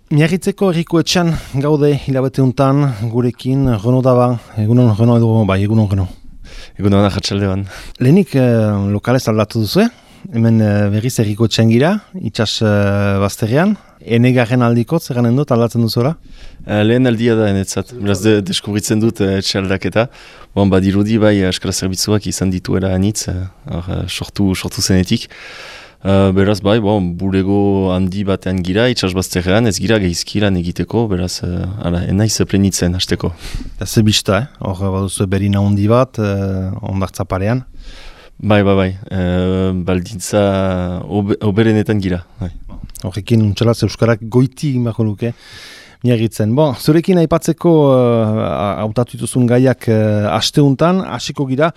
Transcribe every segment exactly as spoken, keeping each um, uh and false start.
Miarritzeko herriko etxan gaude hilabete untan gurekin Reno Daba, egunon Reno edo bai, egunon Reno. Egunon ahatsaldean. Lehenik eh, lokalez aldatu duzu, hemen eh, berriz herriko etxan gira, itxas eh, bazterrean. Enegarren aldikot, zerranen dut, aldatzen duzuela? Uh, lehen aldia da enetzat, beraz de, deskubritzen dut uh, etxe aldaketa. Bon, badirudi bai askara zerbitzuak izan dituela anitz, uh, uh, sortu, sortu zenetik. Uh, beraz bai, bon, bulego handi batean gira, itxas bazterrean, ez gira gehizkilan egiteko, beraz, uh, ala, enaiz plenitzen hasteko. Ez bista, eh? Hor baduzu berina handi bat, uh, ondartza parean? Bai, bai, bai, uh, baldintza ob oberenetan gira. Bai. Horrekin untxalaz euskarak goiti imako luke miagitzen. Bon, zurekin aipatzeko hautatu uh, dituzun gaiak uh, asteuntan, hasiko gira.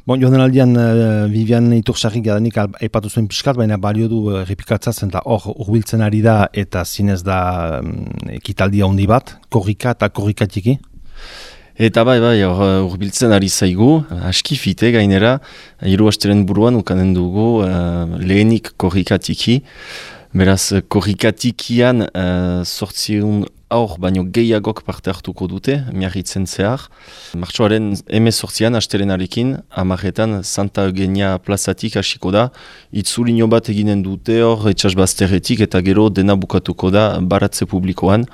Bon, joan den aldian uh, Vivian Itursarrik gadanik aipatu zuen pixkat, baina balio du uh, repikatzatzen eta hor urbiltzen ari da eta zinez da um, ekitaldia handi bat, korrika eta korrikatiki. Eta bai, bai, urbiltzen ari zaigu, aski fite gainera, hiru asteren buruan ukanen dugu uh, lehenik korrikatiki. Beraz, korrikatikian uh, sortziun aur baino gehiagok parte hartuko dute, miarritzen zehar. Martxoaren eme sortzian, astelenarekin, amarretan Santa Eugenia plazatik hasiko da. Itzulino bat eginen dute hor, etxas bazterretik eta gero dena bukatuko da baratze publikoan.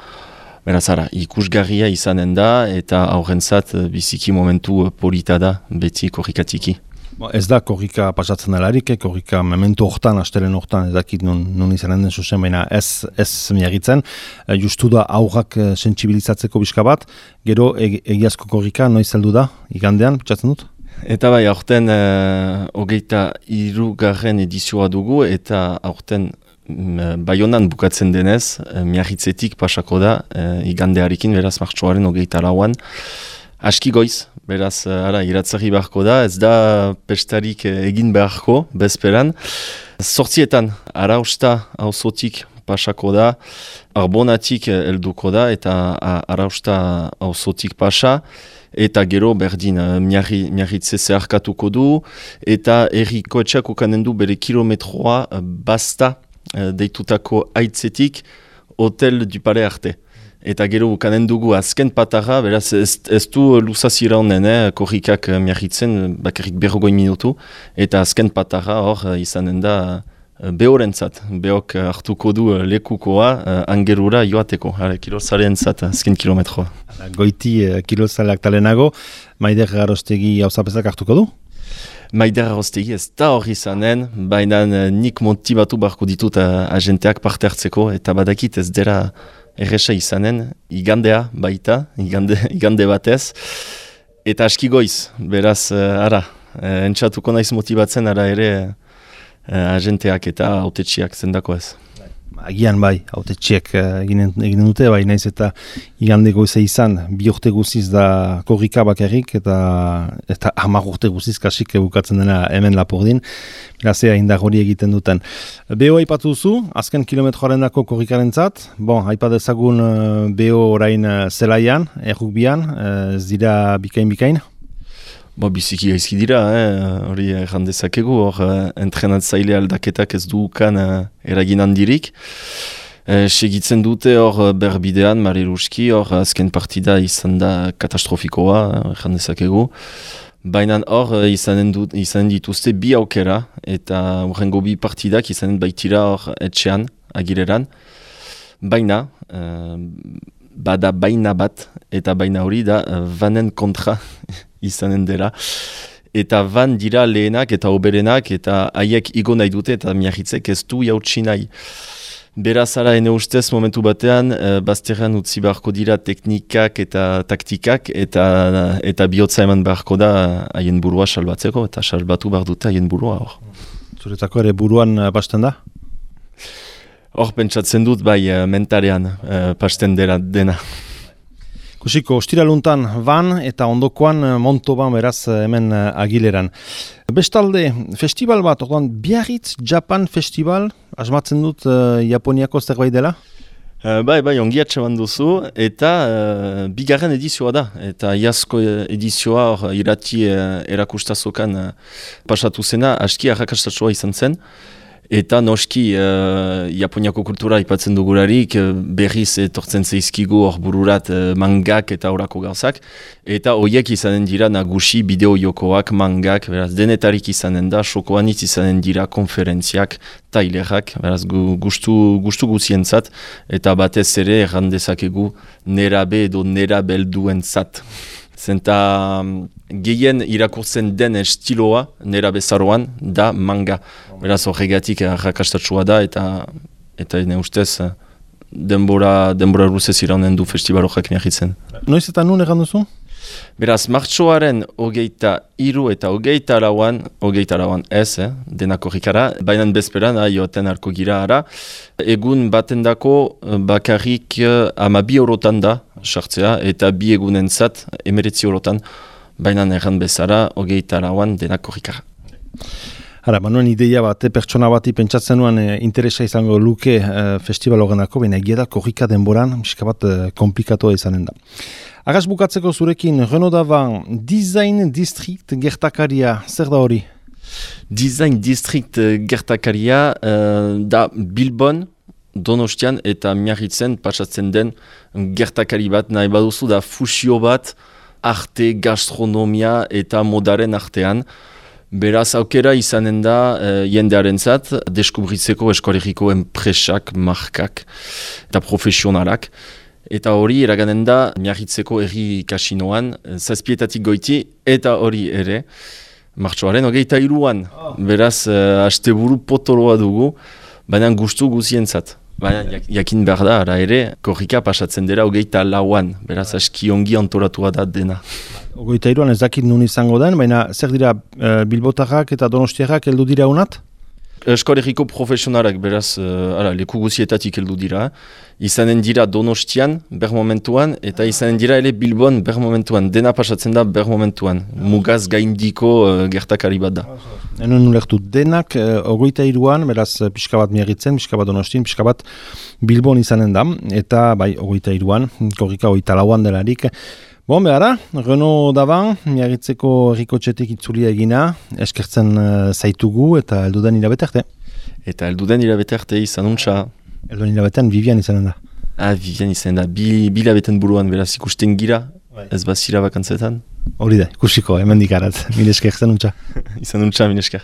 Beraz, ara, ikusgarria izanen da eta aurrentzat biziki momentu polita da beti korrikatiki. Bo, ez da korrika pasatzen alarik, eh? Korrika memento hortan, astelen hortan, ez dakit nun, nun izanen den zuzen, baina ez, ez miagitzen. E, justu da aurrak e, sentsibilizatzeko bizka bat, gero e, egiazko korrika noiz heldu da, igandean, pentsatzen dut? Eta bai, aurten e, hogeita hirugarren edizioa dugu, eta aurten Baionan bukatzen denez, e, miarritzetik pasako da, e, igandearekin, beraz martxoaren hogeita lauan. Aski goiz, beraz, ara, iratzari beharko da, ez da pestarik egin beharko, bezperan. Zortzietan, arausta auzotik pasako da, arbonatik helduko da, eta arausta auzotik pasa, eta gero berdin miarri, miarritze zeharkatuko du, eta herriko etxeak ukanen du bere kilometroa basta deitutako aitzetik Hotel du Palais arte. Eta gero ukanen dugu azken patarra, beraz ez, ez du luzazira honen, eh, korrikak miarritzen, bakarrik berrogoi minutu, eta azken patarra hor izanen da behorentzat, behok hartuko du lekukoa angerura joateko, kilozaleentzat azken kilometroa. Goiti kilozaleak talenago, Maider Garostegi hauzapezak hartuko du? Maider Garostegi ez da hor izanen, baina nik montibatu barko ditut agenteak parte hartzeko, eta badakit ez dela erresa izanen, igandea baita, igande, igande batez, eta aski goiz, beraz, uh, ara, uh, entxatuko naiz motibatzen, ara ere uh, agenteak eta autetxiak zendako ez. Agian bai, autetxiek eginen, eginen dute, bai naiz eta igande goize izan, bi urte guziz da korrika bakarrik, eta eta hamar urte guziz kasik bukatzen dena hemen Lapurdin, berazea indar hori egiten duten. Beho aipatu duzu, azken kilometroaren dako korrikarentzat, bon, aipat ezagun beho orain zelaian, errukbian, ez dira bikain-bikain? Bo, biziki gaizki dira, hori eh, erran dezakegu, hor eh, entrenatzaile aldaketak ez duukan eh, eragin handirik. Eh, segitzen dute hor berbidean, Mariluski, hor azken partida izan da katastrofikoa, erran dezakegu. Baina hor izanen, dut, izanen dituzte bi aukera, eta horrengo bi partidak izanen baitira hor etxean, agireran. Baina, eh, bada baina bat, eta baina hori da vanen kontra izanen dela. Eta van dira lehenak eta oberenak, eta haiek igo nahi dute, eta miarritzek ez du jautsi nahi. Beraz ara ene ustez momentu batean, e, bazterrean utzi beharko dira teknikak eta taktikak, eta, eta bihotza eman beharko da haien burua salbatzeko, eta salbatu behar dute haien burua hor. Zuretako ere buruan pasten da? Hor pentsatzen dut bai mentarean uh, pasten dela dena. Kusiko, ostiraluntan van eta ondokoan Montoban beraz hemen Agileran. Bestalde, festival bat, orduan Biarritz Japan Festival, asmatzen dut uh, Japoniako zerbait dela? Uh, bai, bai, ongi atxeman duzu, eta uh, bigarren edizioa da, eta iazko edizioa hor irati uh, erakustazokan uh, pasatu zena, aski arrakastatsua izan zen. Eta noski, uh, Japoniako kultura ipatzen dugularik, uh, berriz etortzen zeizkigu hor bururat uh, mangak eta horako gauzak. Eta horiek izanen dira nagusi bideo jokoak, mangak, beraz, denetarik izanen da, sokoanitz izanen dira konferentziak, tailerak, beraz, gu, gustu, gustu guzientzat, eta batez ere errandezakegu nerabe edo nerabelduentzat. Zenta gehien irakurtzen den estiloa, nera bezaroan, da manga. Beraz horregatik arrakastatsua da eta eta ne ustez denbora, denbora ruzez iraunen du festival horrek miahitzen. Noiz eta nun egan duzu? Beraz, martxoaren hogeita hiru eta hogeita lauan, hogeita lauan ez, eh, denako rikara, baina bezperan, joaten arko gira ara. Egun batendako bakarrik ama bi eurotan da, sartzea, eta bi egunentzat emeretzi eurotan, baina erran bezara, hogeita lauan denako rikara. Hara, manuen ideia bat, pertsona bati pentsatzen nuen e, interesa izango luke e, festival horrenako, baina egia da korrika denboran, miska bat e, komplikatua izanen da. Agaz bukatzeko zurekin, Renaud Davant, Design District gertakaria, zer da hori? Design District gertakaria uh, da Bilbon, Donostian eta Miarritzen patsatzen den gertakari bat, nahi baduzu da fusio bat arte, gastronomia eta modaren artean. Beraz, aukera izanen da uh, jendearen zat, deskubritzeko eskolegiko enpresak, markak eta profesionalak. Eta hori eraganen da Miarritzeko herri kasinoan, zazpietatik goiti, eta hori ere, martxoaren hogeita hiruan. Beraz, uh, asteburu potoloa dugu, baina gustu guzientzat. Baina jakin behar da, ara ere, korrika pasatzen dira hogeita lauan, beraz aski ongi antolatua da dena. Hogeita hiruan ez dakit nun izango den, baina zer dira uh, bilbotarrak eta donostiarrak heldu dira unat? Eskolegiko profesionalak, beraz, uh, ara, leku guzietatik heldu dira. Izanen dira Donostian, ber momentuan, eta izanen dira ere Bilbon, ber momentuan. Dena pasatzen da ber momentuan. Mugaz gaindiko uh, gertakari bat da. Enen ulertu, denak uh, hogeita hiruan, beraz, pixka bat Miarritzen, pixka bat Donostin, pixka bat Bilbon izanen da. Eta, bai, hogeita hiruan, korrika hogeita lauan delarik. Bon, behara, Renaud Davant, Miarritzeko herrikotxetik itzulia egina, eskertzen uh, zaitugu eta elduden hilabete arte. Eta elduden hilabete arte izan untxa. Elduden hilabetean Vivian izanen da. Ah, Vivian izanen da. Bi, bi hilabeten buruan, beraz ikusten gira, bai. Ez bazira bakantzetan. Hori da, ikusiko, hemen dikarat. Mil esker, izan untxa. Izan untxa, mil esker.